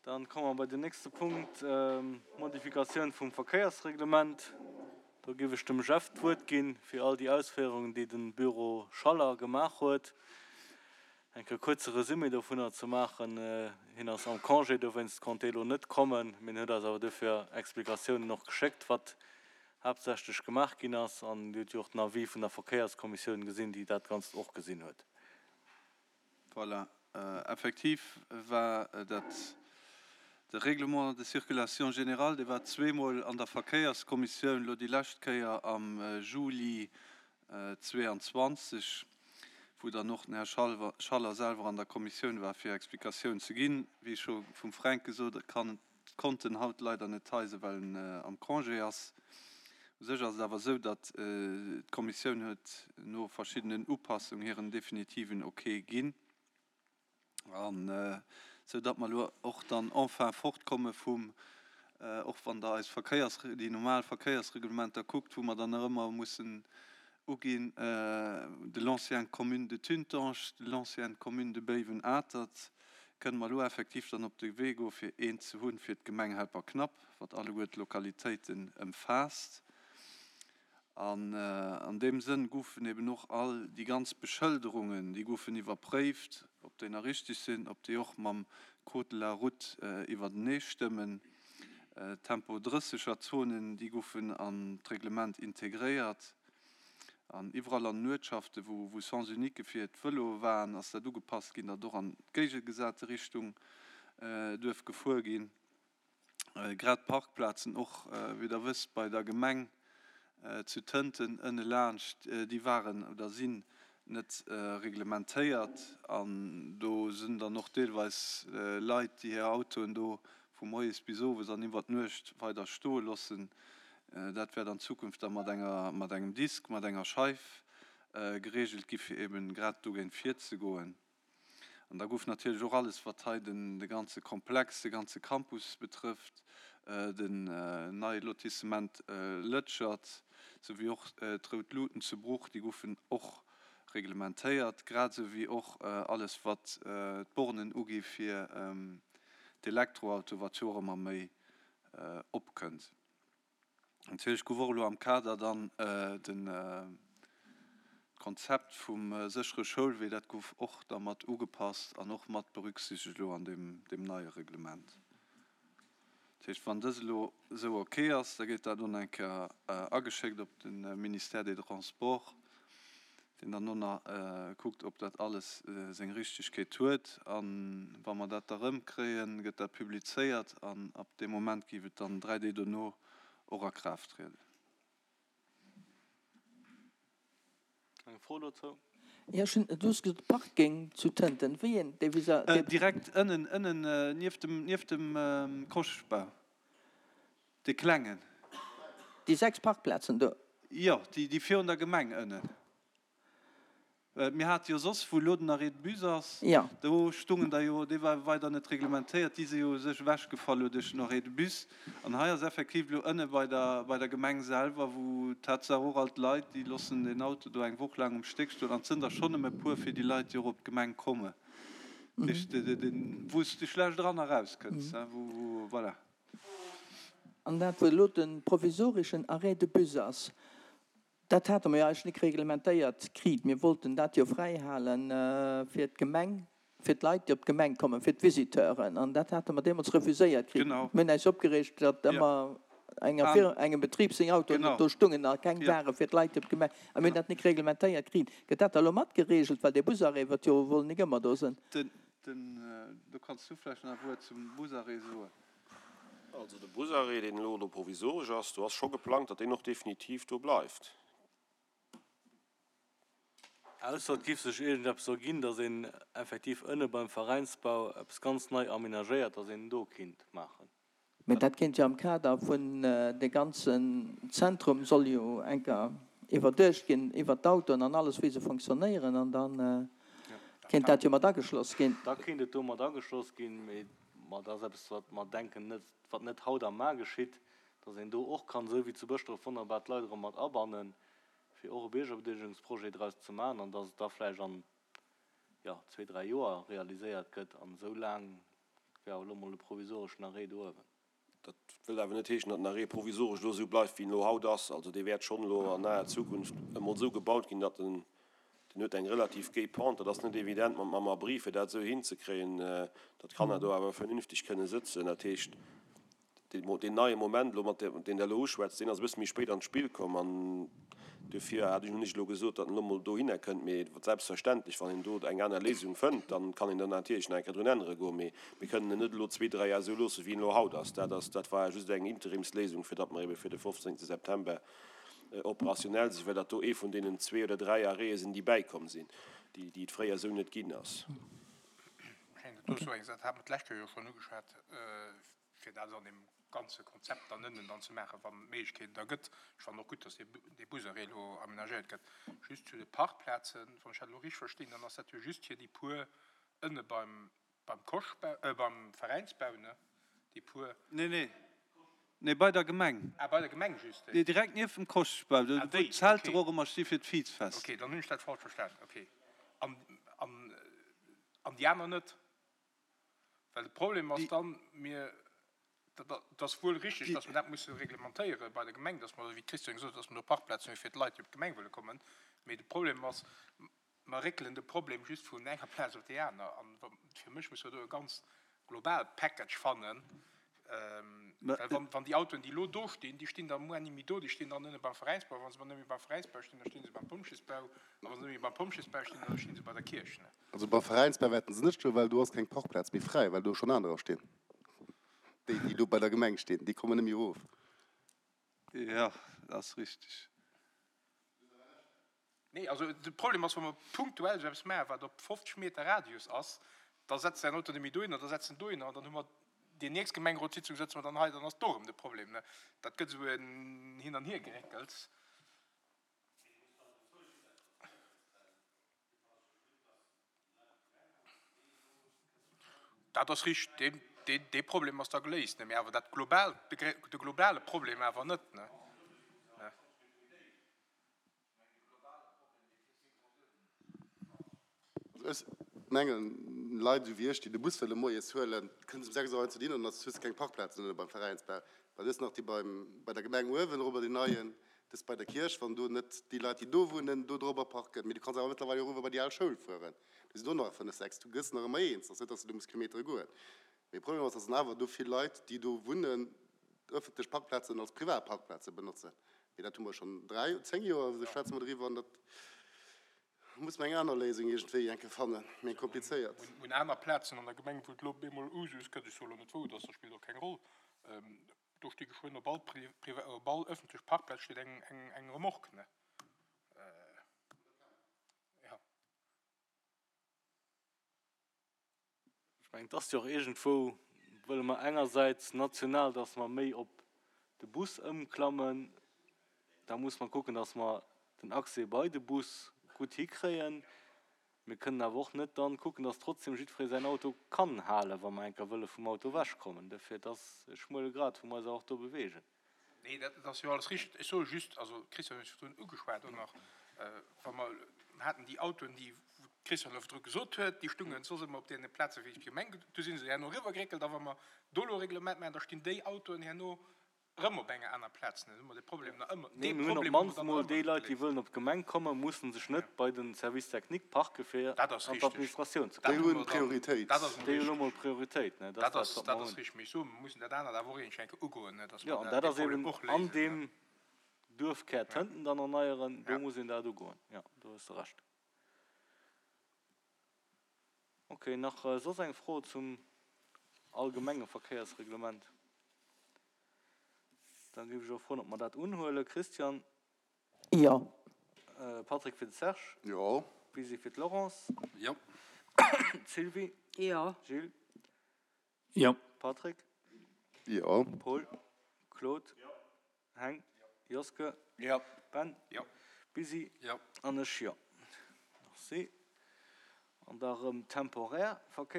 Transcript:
Dann komme mer bei den nächste Punkt, d'Modifikatioun vum Verkéiersreglement. Do géif ech dem Jeff d'Wuert ginn, fir all déi Ausféierungen, déi de Büro Schaller gemaach huet, eng Kéier e kuerze Resumé dovunner ze maachen. Hien ass am Congé, dowéinst konnt hie lo net kommen, mee en huet eis awer duerfir Explikatiounen och geschéckt, wat haaptsächlech gemaach ginn ass. An Dir hutt jo och den Avis vun der Verkéierskommissioun gesinn, déi dat Ganzt och gesinn huet. Voilà, effektiv war dat de Règlement de circulation générale, dee war zweemol an der Verkéierskommissioun, elo déi lescht Kéier am Juli 22, wou dann och den Här Schaller selwer an der Kommissioun war, fir Explikatioun ze ginn. Wéi scho vum Fränk gesot, kann Konnt en haut leider net hei sinn, well en am Congé ass. U sech ass et awer esou, datt d'Kommissioun huet no verschiddenen Upassung hiren definitiven Ok ginn, an esou datt mer elo och dann enfin fortkomme vum, och wann Der eis Verkéiers, déi normal Verkéiersreglementer kuckt, wou mer dann nach ëmmer mussen Uginn, de l'ancienne commune de Tuntange, de l'ancienne commune de Béiwen-Atert, kënne mer elo effektiv dann op de Wee goe fir eent ze hunn fir d'Gemeng Helperknapp, wat alleguer d'Lokalitéiten ëmfaasst. An an deem Sënn goufen eben och all déi ganz Beschëlderungen, déi goufen iwwerpréift, ob déi nach richtig sinn, ob déi och mam Code de la route iwwertenee stëmmen. Tempo 30 er Zonen, déi goufen an d'Reglement integréiert. An iwwerall an den Uertschaften, wou Sens unique fir d'Vëloe waren, ass dat ugepasst ginn, datt och an d'géigegesate Richtung duerf gefuer ginn. Grad d'Parkplazen och, wéi Der wësst, bei der Gemeng zu Tënten ënne laanscht, déi waren oder sinn net reglementéiert. An do sinn dann och deelweis Leit, déi hir Autoen do vu moies bis owes an iwwer d'Nuecht weider stoe loossen. Dat wäert an Zukunft da mat enger, mat engem Disk, mat enger Scheif geregelt gi fir eben grad dogéint virzegoen. An da gouf natierlech och alles wat hei den, de ganze Komplex, de ganze Campus betrëfft, den neie Lotissement Lëtschert, souwéi och d'Rout Luuten zu Bruch, déi goufen och reglementéiert, grad esou wéi och alles wat d'Bornen ugi fir d'Elektroauto, wat jo och ëmmer méi opkënnt. Natierlech gouf och elo am Kader dann de Konzept vum séchere Schoulwee, dat gouf och da mat ugepasst an och mat berücksichtegt elo an deem neie Reglement. Dat heescht, wann dës elo esou ok ass, da gétt dat elo nach eng Kéier ageschéckt op de Ministère des Transports, deen dann elo nach kuckt, ob dat alles seng Richtegkeet huet. A wa mer dat da erëmkréien, gëtt dat publizéiert an ab deem Moment géif et dann 3 Deeg dono och a Kraaft trieden. Eng Fro dozou? Jo, ech hunn, du hues gesot Parking zu Tënten. Wéi een, dee vis-à, dee. Direkt ënnen, ënnen nieft dem, nieft dem Koschbau, dee klengen. Déi 6 Parkplazen do? Jo, déi, déi virun der Gemeng ënnen. Mir hate jo soss, wou elo den Arrêt de bus ass, do stungen der jo, dee war weider net reglementéiert, déi si jo u sech ewechgefall elo duerch den Arrêt de bus. An hei ass effektiv elo ënne bei der, bei der Gemeng selwer, wou Tatsaach och all d'Leit, déi loossen den Auto do eng Woch laang um Stéck stoen, an et sënn der schonn nëmme e puer fir déi Leit, déi och op d'Gemeng kommen, dat heescht, wou s de schlecht eran a raus kënns, wou, wou, voilà. An dat, wou elo de provisoreschen Arrêt de bus ass, Dat hate mer jo eigentlech nik reglementéiert kriit. Mir wollten dat jo fräi hale fir d'Gemeng, fir d'Leit, déi op d'Gemeng kommen, fir d'Visiteuren. An dat hate mer deemools refuséiert kritt. Mir hunn äis opgereegt, datt ëmmer enger Firma, engem Betrib seng Autoen do stungen a keng ware fir d'Leit, déi op d'Gemeng. A mir hunn dat nik reglementéiert kriit. Gëtt dat da elo mat geregelt? Well dee Busarrêt wërt jo wuel nik ëmmer do sënn. Do kanns du vläicht nach e Wuert zum Busarrêt soen. Also de Busarrêt, deen elo do provisoresch ass, do ass scho geplangt, datt deen och definitiv do bleift. Ausser et giff sech iergendeppes erginn, datt een effektiv ënne beim Veräinsbau eppes ganz nei aménagéiert, datt een do kinnt maachen. Mä dat kéint jo am Kader vun de ganzen Zentrum soll jo enker iwwerduecht ginn, iwwert d'Autoen an alles wéi se fonctionnéieren, an da kéint dat jo mat ageschloss ginn. Da kéint et do mat ageschloss ginn, mee Ma dat ass eppes, wat mer denken, net, wat net haut a mar geschitt, dass een do och kann, esou wéi zu Bëschdref, wonnerbar d'Leit erëm mat abannen, fir och e Biergerbedeelegungsprojet draus ze maachen an dass et da vläicht an. jo, zwee, dräi Joer realiséiert gëtt. An esou laang wär awer elo mol de provisoreschen Arrêt do uewen. Dat wëllt awer net heeschen, datt den Arrêt provisoresch elo esou bleift, wéi en elo haut ass. Also dee wäert schonn elo an naher Zukunft emol esou gebaut ginn, datt en, deen huet eng relativ géi Pente, dat ass net evident mat mam Abri, fir dat esou hinzekréien, datt d'Kanner do awer vernünfteg kënne sëtzen. Dat heescht, deen neie Moment elo, mat deen Der elo uschwätzt, deen ass e bësse méi spéit an d'Spill komm an Duerfir hat ech hunn ech elo gesot, datt en elo mol dohinner kënnt. Mee selbstverständlech, wann een do eng aner Léisung fënnt, da kann een do natierlech nach eng Kéier drun ännere goen. Mee mir kënnen en net elo zwee, dräi Jar esou loossen, wéi en elo haut ass. Dat ass, dat war just eng Interimsléisung, fir datt mer ebe fir de 15. September operationell sinn, well dat do ee vun deenen zwee oder dräi Arrêtë sinn, déi bäikomm sinn, déi, déi et fréier esou net ginn ass. Ech mengen, dat do ass eng Saach, dat hat mer d'lescht Joer jo schonn ugeschwat, fir dat an deem ganze Konzept dann ënnen dann ze maachen, wann et d'Méiglechkeeten da gëtt. Ech fannen och gutt, dass dee Busarrêt elo amenagéiert gëtt. Just zu de Parkplazen, wann ech dat elo richteg verstinn, dann ass dat jo just fir déi puer ënne beim, beim Koschbau, beim Veräinsbau, ne? Déi puer. Nee, nee, nee, bei der Gemeng. Ah, bei der Gemeng just déi? Nee, direkt nieft dem Koschbau, do wou d'Zelter och ëmmer sti fir d'Vizfest. Okay, dann hunn ech dat falsch verstanen, okay. An, an, an déi aner net? Well de Problem ass dann, mir, dat ass wuel richtig, dass mer dat musse reglementéiere bei der Gemeng, dass mer, wéi d'Christiane gesot huet, dass mer do Parkplazen hu fir d'Leit, déi op d'Gemeng wëlle kommen. Mee de Problem ass, mer réckelen de Problem just vun enger Plaz op déi aner. An fir mech musse mer do e ganz global Package fannen, well wann, wann déi Autoen, déi elo do stinn, déi stinn da muer ni méi do, déi stinn dann nëmme beim Veräinsbau. Wa se net méi beim Veräinsbau stinn, da sti se beim Pompjeesbau. A wa se net méi beim Pompjeesbau stinn, da sti se bei der Kierch. Also beim Veräinsbau wäerten se net stoen, well do ass keng Parkplaz méi fräi, well do schonn anerer stinn. Déi, déi do bei der Gemeng stinn, déi kommen net méi erof. Jo, dat ass richteg. Nee, also de Problem ass, wa mer punktuell esou eppes maachen, wat op 50 Meter Radius ass, da setzt säin Auto net méi dohinner, da setzt en dohinner an dann hu mer déi nächst Gemengerotssitzung sëtze mer dann hei, dann ass do erëm de Problem. Dat gëtt esou en Hin an Hiergeréckels. Dat ass richteg, dee Problem ass da geléist, mee awer dat global, de globale Problem awer net. Also ech mengen, Leit esou wéi ech, déi de Bus wëlle moies huelen, kënne se um 6 Auer hei zu dinn an da hues de keng Parkplazen ënne beim Veräinsbau, well du hues nach déi beim, bei der Gemeng uewen erobber, déi neien, Dës bei der Kierch, wann do net déi Leit, déi do wunnen, do dorobber parken. Mee du kanns awer mëttlerweil och eriwwer bei déi al Schoul fueren. Do sinn och nach 5, 6. Du gëss nach ëmmer eens. Ass net, dass de do muss Kilometere goen. Mee de Problem ass, dass dann awer do vill Leit, déi do wunnen, ëffentlech Parkplazen als privat Parkplaze benotzen. Mee dat hu mer schonn 3, 10 Joer esou schwätze mer doriwwer an dat muss mer eng aner Léisung iergendwéi eng Kéier fannen, méi eng komplizéiert. Un aner Plazen an der Gemeng, wou et elo op eemol Usus gëtt, ech soe lo net wou et ass, dat spillt och keng Roll, Do sti geschwënn op all op all ëffentlech Parkplaz steet eng eng eng Remorque, ne? Ja. Ech mengen, et ass jo och iergendwou, wëlle mer engersäits national, dass mer méi op de Bus ëmklammen, da muss mer kucken, dass mer den Accès bei de Bus gutt hikréien. Mir kënnen awer och net dann kucken, dass trotzdem jiddweree säin Auto kann halen, wa mer eng Kéier wëlle vum Auto ewechkommen. Duerfir, et ass e schmuele Grad, wou mer eis awer och do bewegen. Nee, dat ass jo alles richteg. Ech soe just, also d'Christiane huet et virdrun ugeschwat och nach, wa mer haten déi Autoen, déi, wou d'Christiane elo virdru gesot huet, déi stungen soss ëmmer op deene Plaze wéi d'Gemeng, du si se herno eriwwergeréckelt. A wa mer do elo e Reglement maachen, da stinn déi Autoen herno Erëm op enger aner Plaz, dann hu mer de Problem nach ëmmer. Nee, mir hunn op d'mannst emol déi Leit, déi wëllen op d'Gemeng kommen, mussen sech net bei de Service technique parke fir an d'Administratioun ze kommen. Déi hunn Prioritéit. Déi hunn elo mol Prioritéit, ne? Dat ass dat, wat mer hunn. Dat ass richteg. Mee ech soen, mer mussen dat anert awer och iergendwéi eng Kéier ugoen, ne, dass mer dat, dee Problem och léisen. Jo, an dat ass eben an deem Duerfkär Tënten dann erneieren, do muss een dat ugoen. Jo, do hues de Recht. Ok, nach soss eng Fro zum allgemenge Verkéiersreglement? Da géif ech och froen, ob mer dat unhuelen. Christian? Jo. Patrick fir de Serge? Jo. Lisi fir d'Laurence? Jo. Sylvie? Jo. Gilles? Jo. Patrick? Jo. Paul? Claude? Heng? Joske? Jo. Ben? Jo. Busy? Jo. An ech jo. Merci. An da erëm temporär Verkéiers.